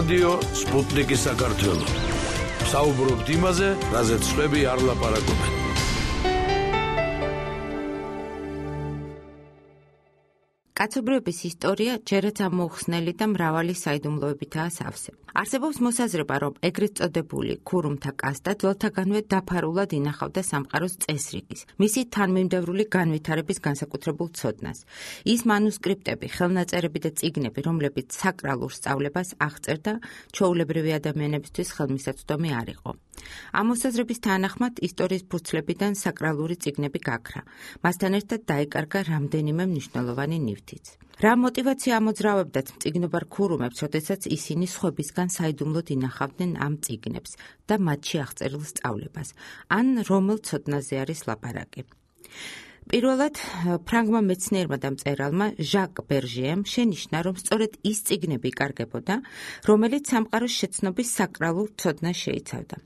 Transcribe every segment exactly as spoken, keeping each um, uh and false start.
რადიო სპუტნიკი საქართველო. საუბრობთ იმაზე, რაზეც სხვები არ ლაპარაკობენ. კაცობრიობის ისტორია ჯერაც ამოუხსნელი და მრავალი საიდუმლოებითაა სავსე. არსებობს მოსაზრება, რომ ეგრეთ წოდებული ქურუმთა კასტა ძველთაგანვე დაფარულად ინახავდა სამყაროს წესრიგის, მისი თანმიმდევრული განვითარების განსაკუთრებულ ცოდნას. ის მანუსკრიპტები, ხელნაწერები და წიგნები, რომლებიც საკრალურ სწავლებას აღწერდა, ჩვეულებრივი ადამიანებისთვის ხელმისაწვდომი არ იყო. ამ მოსაზრების თანახმად ისტორიის ფურცლებიდან საკრალური წიგნები გაქრა. მასთან ერთად დაიკარგა რამდენიმე მნიშვნელოვანი ნივთიც. რა მოტივაცია ამოძრავებდათ მწიგნობარ ქურუმებს, როდესაც ისინი სხვებისგან საიდუმლოდ ინახავდნენ ამ წიგნებს და მათში აღწერილ სწავლებას, ან რომელ ცოდნაზე არის ლაპარაკი. პირველად, ფრანგმა მეცნიერმა და მწერალმა ჟაკ ბერჟიემ შენიშნა, რომ სწორედ ის წიგნები იკარგებოდა, რომელიც სამყაროს შეცნობის საკრალურ ცოდნას შეიცავდა.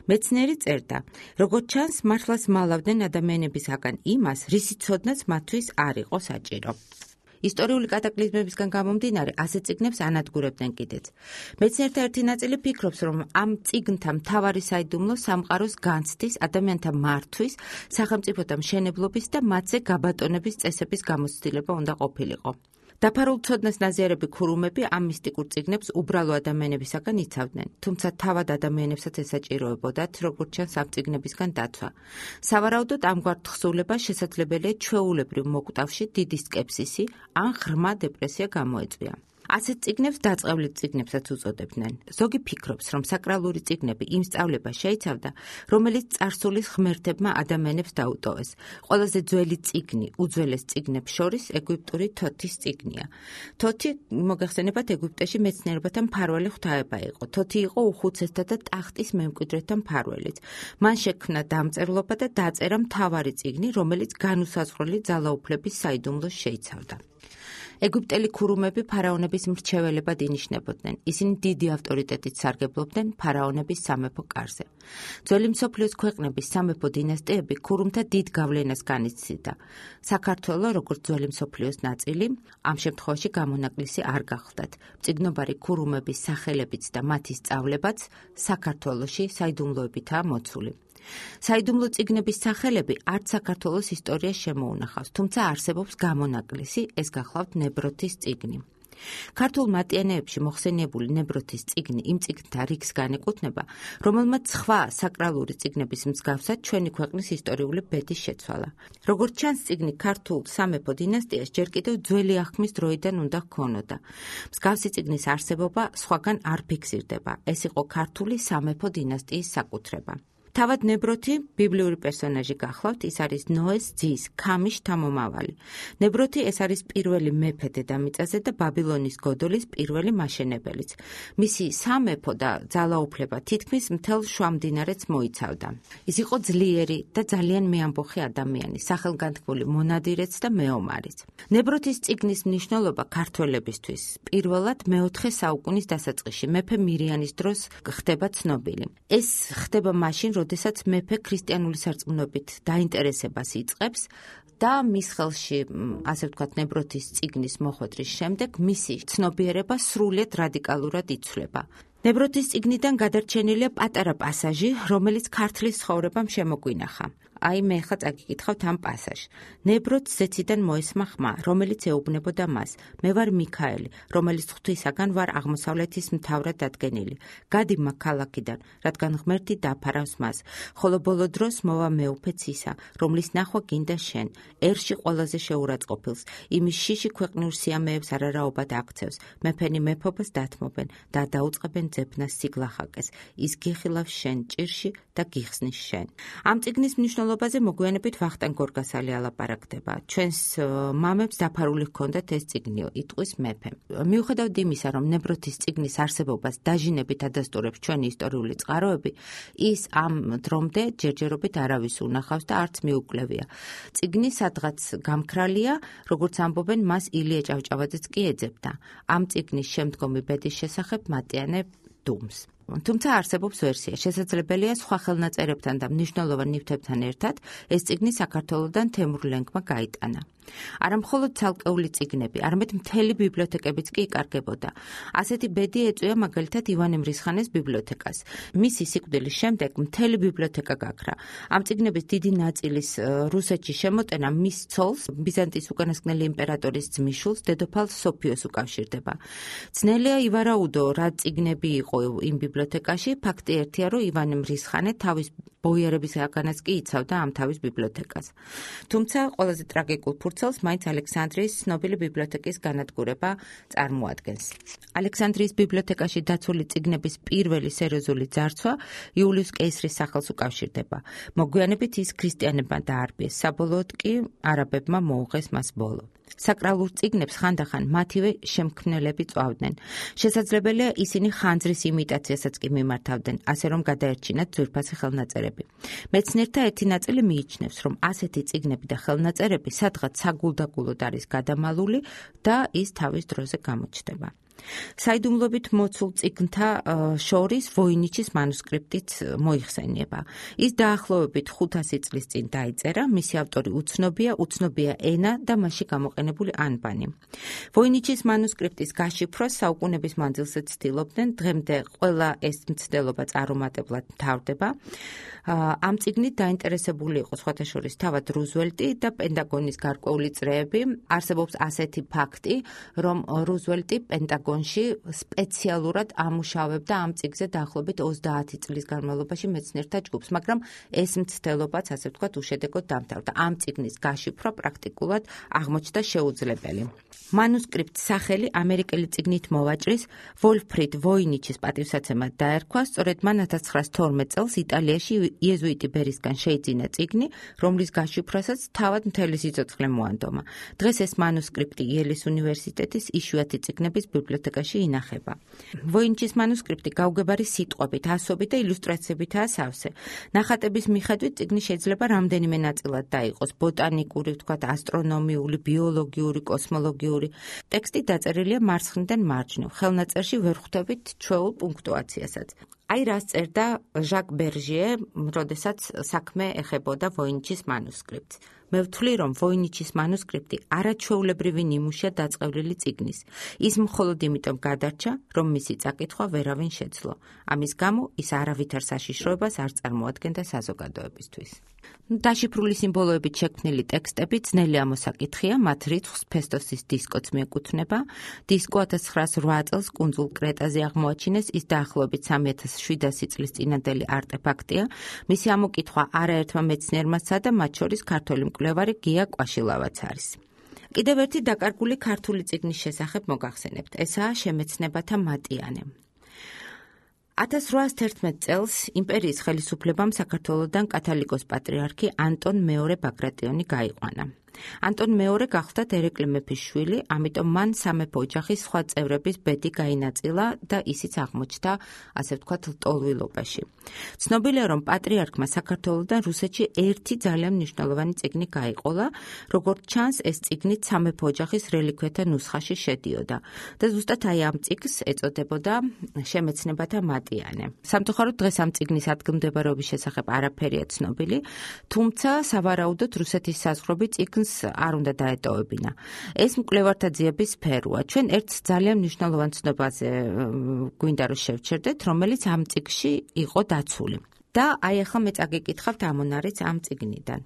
მეცნიერი წერდა, როგორც ჩანს, მართლაც მალავდნენ ადამიანებისაგან იმას, რისი ცოდნაც მათთვის არ იყო საჭირო. ისტორიული კატაკლიზმებისგან გამომდინარე, ასეთ წიგნებს ანადგურებდნენ კიდეც. მეცნიერთა ერთი ნაწილი ფიქრობს, რომ ამ წიგნთა მთავარი საიდუმლო სამყაროს განცდის, ადამიანთა მართვის, სახელმწიფოთა მშენებლობის და მათზე გაბატონების წესების გამოცდილება უნდა ყოფილიყო. დაფარულ ცოდნას ნაზიარები ქურუმები ამ მისტიკურ წიგნებს უბრალო ადამიანებისაგან იცავდნენ, თუმცა თავად ადამიანებსაც ესაჭიროებოდათ, როგორც ჩანს ამ წიგნებისგან დაცვა. სავარაუდოდ ამგვარ თხზულებას შესაძლებელია ჩვეულებრივ მოკვდავში დიდი სკეპსისი ან ღრმა დეპრესია გამოეწვია. ასეთ წიგნებს დაწყევლილ წიგნებსაც უწოდებდნენ. ზოგი ფიქრობს, რომ საკრალური წიგნები იმ სწავლებას შეიცავდა, რომელიც წარსულის ღმერთებმა ადამიანებს დაუტოვეს. ყველაზე ძველი წიგნი უძველეს წიგნებს შორის ეგვიპტური თოთის წიგნია. თოთი, მოგეხსენებათ, ეგვიპტეში მეცნიერებათა მფარველი ღვთაება იყო. თოთი იყო უხუცესთა და ტახტის მემკვიდრეთა მფარველიც. მან შექმნა დამწერლობა და დაწერა მთავარი წიგნი, რომელიც განუსაზღვრელი ძალაუფლების საიდუმლოს შეიცავდა. ეგვიპტელი ქურუმები ფარაონების მრჩეველებად ინიშნებოდნენ. ისინი დიდი ავტორიტეტით სარგებლობდნენ ფარაონების სამეფო კარზე. ძველი მსოფლიოს ქვეყნების სამეფო დინასტიები ქურუმთა დიდ გავლენას განიცდიდა. საქართველო, როგორც ძველი მსოფლიოს ნაწილი, ამ შემთხვევაში გამონაკლისი არ გახლდათ. მწიგნობარი ქურუმების სახელებიც და მათი სწავლებაც საქართველოში საიდუმლოებითაა მოცული. საიდუმლო წიგნების სახელები არც საქართველოს ისტორიას შემოუნახავს, თუმცა არსებობს გამონაკლისი, ეს გახლავთ ნებროთის წიგნი. ქართულ მატიანეებში მოხსენიებული ნებროთის წიგნი იმ წიგნთა რიგს განეკუთვნება, რომელმაც სხვა საკრალური წიგნების მსგავსად ჩვენი ქვეყნის ისტორიული ბედი შეცვალა. როგორც ჩანს, წიგნი ქართულ სამეფო დინასტიას ჯერ კიდევ ძველი აღქმის დროიდან უნდა ჰქონოდა. მსგავსი წიგნის არსებობა სხვაგან არ ფიქსირდება. ეს იყო ქართული სამეფო დინასტიის საკუთრება. თავად ნებროთი ბიბლიური პერსონაჟი გახლავთ, ის არის ნოეს ძის, ქამის შთამომავალი. ნებროთი ეს არის პირველი მეფე დედამიწაზე და ბაბილონის გოდოლის პირველი მაშენებელიც. მისი სამეფო და ძალაუფლება თითქმის მთელ შუამდინარეთს მოიცავდა. ის იყო ძლიერი და ძალიან მეამბოხი ადამიანი, სახელგანთქმული მონადირეც და მეომარიც. ნებროთის წიგნის მნიშვნელობა ქართველებისთვის პირველად მეოთხე საუკუნის დასაწყისში, მეფე მირიანის დროს ხდება ცნობილი. ეს ხდება მაშინ, როდესაც მეფე ქრისტიანული სარწმუნოებით დაინტერესებას იწყებს და მის ხელში, ასე ვთქვათ, ნებროთის წიგნის მოხვედრის შემდეგ მისი ცნობიერება სრულიად რადიკალურად იცვლება. ნებროთის წიგნიდან გადარჩენილია პატარა პასაჟი, რომელიც ქართლის ცხოვრებამ შემოგვინახა. აი მე ხა წაგიკითხავთ ამ პასაჟს. ნებროთს ზეციდან მოესმა ხმა, რომელიც ეუბნებოდა მას. მე ვარ მიქაელი, რომელიც ღვთისაგან ვარ აღმოსავლეთის მთავრად დადგენილი. გადი მაგ ქალაქიდან, რადგან ღმერთი დაფარავს მას. ხოლო ბოლო დროს მოვა მეუფეც ისა, რომლის ნახვა გინდა შენ. ერში ყველაზე შეურაცხყოფილს, იმის შიში ქვეყნიურ სიამეებს არარაობად აქცევს. მეფენი მეფობას დათმობენ და დაუწყებენ ძებნას სიგლახაკეს. ის გიხილავს შენ ჭირში და გიხსნის შენ. ამ წიგნის მნიშვნელობაზე მოგვიანებით ვახტანგ გორგასალი ალაპარაკდება. ჩვენს მამებს დაფარული ჰქონდათ ეს წიგნიო, იტყვის მეფე. მიუხედავად იმისა, რომ ნებროთის წიგნის არსებობას დაჟინებით ადასტურებს ჩვენი ისტორიული წყაროები, ის ამ დრომდე ჯერჯერობით არავის უნახავს და არც მიუკლევია. წიგნი სადღაც გამქრალია, როგორც ამბობენ, მას ილია ჭავჭავაძეც კი ეძებდა. ამ წიგნის შემდგომი ბედის შესახებ მატიანე დუმს. თუმცა არსებობს ვერსია, შესაძლებელია სხვა ხელნაწერებთან და მნიშვნელოვან ნივთებთან ერთად ეს წიგნი საქართველოდან თემურლენგმა გაიტანა. არა მხოლოდ ცალკეული წიგნები, არამედ მთელი ბიბლიოთეკებიც კი იკარგებოდა. ასეთი ბედი ეწვია მაგალითად ივანე მრისხანეს ბიბლიოთეკას. მისი სიკვდილის შემდეგ მთელი ბიბლიოთეკა გაქრა. ამ წიგნების დიდი ნაწილის რუსეთში შემოტენა მის ცოლს, ბიზანტიის უკანასკნელი იმპერატორის ძმისშვილს, დედოფალ სოფიოს უკავშირდება. ძნელია ივარაუდო, რა წიგნები იყო იმ ბიბლიოთეკაში, ფაქტი ერთია, რომ ივანე მრისხანე თავის ბოიარებისგანაც კი იცავდა ამ თავის ბიბლიოთეკას. თუმცა ყველაზე ტრაგიკულ ფურცელს მაინც ალექსანდრიის ცნობილი ბიბლიოთეკის განადგურება წარმოადგენს. ალექსანდრიის ბიბლიოთეკაში დაცული წიგნების პირველი სერიოზული ძარცვა იულიუს კეისრის სახელს უკავშირდება. მოგვიანებით ის ქრისტიანებმა დაარბიეს, საბოლოოდ კი არაბებმა მოუღეს მას ბოლო. საკრალურ წიგნებს ხანდახან მათივე შემქმნელები წვავდნენ. შესაძლებელია ისინი ხანძრის იმიტაციასაც კი მიმართავდნენ, ასე რომ გადაერჩინათ ძვირფასი ხელნაწერები. მეცნიერთა ერთი ნაწილი მიიჩნევს, რომ ასეთი წიგნები და ხელნაწერები სადღაც საგულდაგულოდ არის გადამალული და ის თავის დროზე გამოჩნდება. საიდუმლოებით მოცულ წიგნთა შორის ვოინიჩის მანუსკრიპტიც მოიხსენიება. ის დაახლოებით ხუთასი წლის წინ დაიწერა, მისი ავტორი უცნობია, უცნობია ენა და მასში გამოყენებული ანბანი. ვოინიჩის მანუსკრიპტის გაშიფრვას საუკუნების მანძილზე ცდილობდნენ, დღემდე ყველა ეს მცდელობა წარუმატებლად მთავრდება. ამ წიგნით დაინტერესებული იყო სხვათა შორის თავად რუზველტი და პენტაგონის გარკვეული წრეები. არსებობს ასეთი ფაქტი, რომ რუზველტი პენტაგონში სპეციალურად ამუშავებდა ამ წიგნზე დაახლოებით ოცდაათი წლის განმავლობაში მეცნიერთა ჯგუფს, მაგრამ ეს მცდელობაც, ასე ვთქვათ, უშედეგოდ დამთავრდა. ამ წიგნის გაშიფრვა პრაქტიკულად აღმოჩნდა შეუძლებელი. მანუსკრიპტს სახელი ამერიკელი წიგნით მოვაჭრის ვოლფრიდ ვოინიჩის პატივსაცემად დაერქვა, სწორედ მან ათას ცხრაას თორმეტ წელს იტალიაში იეზუიტი ბერისგან შეიძინა წიგნი, რომლის გაშიფრვასაც თავად მთელი სიცოცხლე მოანდომა. დღეს ეს მანუსკრიპტი იელის უნივერსიტეტის იშვიათი წიგნების ბიბლიოთეკაში ინახება. ვოინიჩის მანუსკრიპტი გაუგებარი სიტყვებით, ასობით და ილუსტრაციებითაა სავსე. ნახატების მიხედვით წიგნი შეიძლება რამდენიმე ნაწილად დაიყოს: ბოტანიკური, ვთქვათ, ასტრონომიული, ბიოლოგიური, კოსმოლოგიური. ტექსტი დაწერილია მარცხნიდან მარჯვნივ. ხელნაწერში ვერ ხვდებით ჩვეულ პუნქტუაციასაც. აი რას წერდა ჟაკ ბერჟიე, როდესაც საქმე ეხებოდა ვოინიჩის მანუსკრიპტს. მე ვთვლი, რომ ვოინიჩის მანუსკრიპტი არაჩვეულებრივი ნიმუშია დაწყევლილი წიგნის. ის მხოლოდ იმიტომ გადარჩა, რომ მისი წაკითხვა ვერავინ შეძლო. ამის გამო ის არავითარ საშიშროებას არ წარმოადგენდა საზოგადოებისთვის. დაშიფრული სიმბოლოებით შექმნილი ტექსტები ძნელი ამოსაკითხია, მათ რიცხვს ფესტოსის დისკოც მიეკუთვნება. დისკო ათას ცხრაას რვა წელს კუნძულ კრეტაზე აღმოაჩინეს, ის დაახლოებით სამი ათას შვიდასი წლის წინანდელი არტეფაქტია. მისი ამოკითხვა არაერთმა მეცნიერმა სცადა, მათ შორის ქართველი მკვლევარი გია კვაშილავაც არის. კიდევ ერთი დაკარგული ქართული წიგნის შესახებ მოგახსენებთ, ესაა შემეცნებათა მატიანე. ათას რვაას თერთმეტ წელს იმპერიის ხელისუფლებამ საქართველოდან კათალიკოს პატრიარქი ანტონ მეორე ბაგრატიონი გაიყვანა. ანტონ მეორე გახლდა ერეკლე მეფის შვილი, ამიტომ მან სამეფო ოჯახის სხვა წევრების ბედი გაინაწილა და ისიც აღმოჩნდა, ასე ვთქვათ, ლტოლვილობაში. ცნობილია, რომ პატრიარქმა საქართველოდან რუსეთში ერთი ძალიან მნიშვნელოვანი წიგნი გაიყოლა, როგორც ჩანს, ეს წიგნით სამეფო ოჯახის რელიქვიათა ნუსხაში შედიოდა და ზუსტად აი ამ წიგნს ეწოდებოდა შემეცნებათა მატიანე. სამწუხაროდ დღეს ამ წიგნის ადგილმდებარეობის შესახებ არაფერია ცნობილი, თუმცა სავარაუდოდ რუსეთის საზღვრები წიგნს არ უნდა დაეტოვებინა. ეს მკვლევართა ძიების სფეროა. ჩვენ ერთ ძალიან მნიშვნელოვან ცნობაზე გვინდა რომ შევჩერდეთ, რომელიც ამ წიგნში იყო დაცული. და აი ახლა მე წაგიკითხავთ ამონარიც ამ წიგნიდან.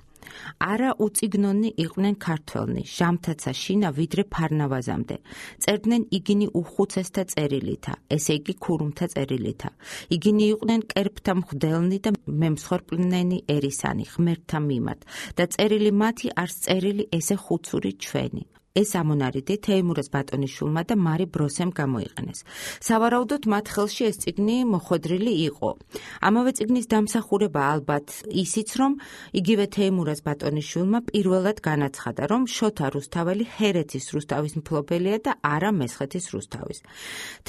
არა უწიგნონი იყვნენ ქართველნი, ჟამთაცა შინა ვიდრე ფარნავაზამდე. წერდნენ იგინი უხუცესთა წერილითა, ესე იგი ქურუმთა წერილითა. იგინი იყვნენ კერპთა მღვდელნი და მემსხვერპლნენი ერისანი, ღმერთთა მიმართ. და წერილი მათი არს წერილი ესე ხუცური ჩვენი. ეს ამონარიდი თეიმურაზ ბატონიშვილმა და მარი ბროსემ გამოიყენეს. სავარაუდოდ მათ ხელში ეს წიგნი მოხვედრილი იყო. ამავე წიგნის დამსახურება ალბათ ისიც, რომ იგივე თეიმურაზ ბატონიშვილმა პირველად განაცხადა, რომ შოთა რუსთაველი ჰერეთის რუსთავის მფლობელია და არა მესხეთის რუსთავის.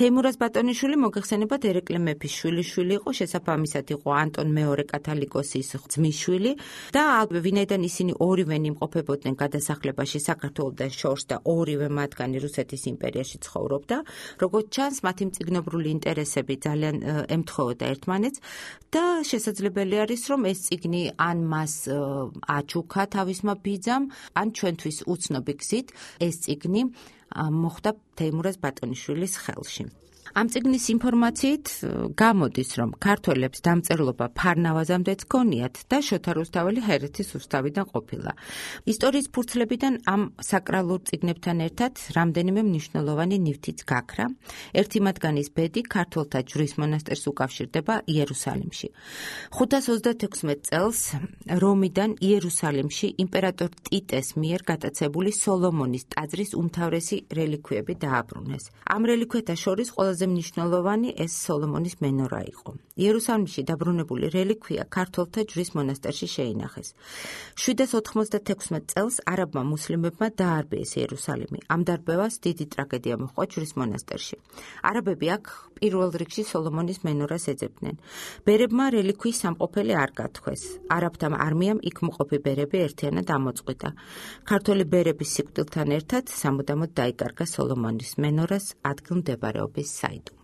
თეიმურაზ ბატონიშვილი მოგეხსენებათ ერეკლე მეფის შვილიშვილი იყო, შესაბამისად იყო ანტონ მეორე კათალიკოსის ძმისშვილი და ვინაიდან ისინი ორივე იმყოფებოდნენ გადასახლებაში საქართველოსთან შორს და ორივე მათგანი რუსეთის იმპერიაში ცხოვრობდა. Როგორც ჩანს, მათი მწიგნობრული ინტერესები ძალიან ემთხოვოდა ერთმანეთს და შესაძლებელი არის, რომ ეს წიგნი ან მას აჩუქა თავისმა ბიძამ, ან ჩვენთვის უცნობი გზით ეს წიგნი მოხვდა თეიმურაზ ბატონიშვილის ხელში. Ამ წიგნის ინფორმაციით გამოდის, რომ ქართველებს დამწერლობა ფარნავაზამდეც ჰქონიათ და შოთა რუსთაველი ჰერეთის რუსთავიდან ყოფილა. ისტორიის ფურცლებიდან ამ საკრალურ წიგნებთან ერთად რამდენიმე მნიშვნელოვანი ნივთიც გაქრა. ერთი მათგანის ბედი ქართველთა ჯვრის მონასტერს უკავშირდება იერუსალიმში. ხუთას ოცდათექვსმეტ წელს რომიდან იერუსალიმში იმპერატორ ტიტეს მიერ გატაცებული სოლომონის ტაძრის უმთავრესი რელიქვიები დააბრუნეს. ამ რელიქვიათა შორის ყველაზე მნიშვნელოვანი ეს სოლომონის მენორა იყო. იერუსალიმში დაბრუნებული რელიქვია ქართველთა ჯვრის მონასტერში შეინახეს. შვიდას ოთხმოცდათექვსმეტ წელს არაბმა მუსლიმებმა დაარბიეს იერუსალიმი. ამ დარბევას დიდი ტრაგედია მოჰყვა ჯვრის მონასტერში. არაბები აქ პირველ რიგში სოლომონის მენორას ეძებდნენ. ბერებმა რელიქვიის სამყოფელი არ გათქვეს. არაბთა არმიამ იქ მყოფი ბერები ერთიანად ამოწყვიტა. ქართველი ბერების სიკვდილთან ერთად სამუდამოდ დაიკარგა სოლომონის მენორას ადგილმდებარეობის საიდუმლო.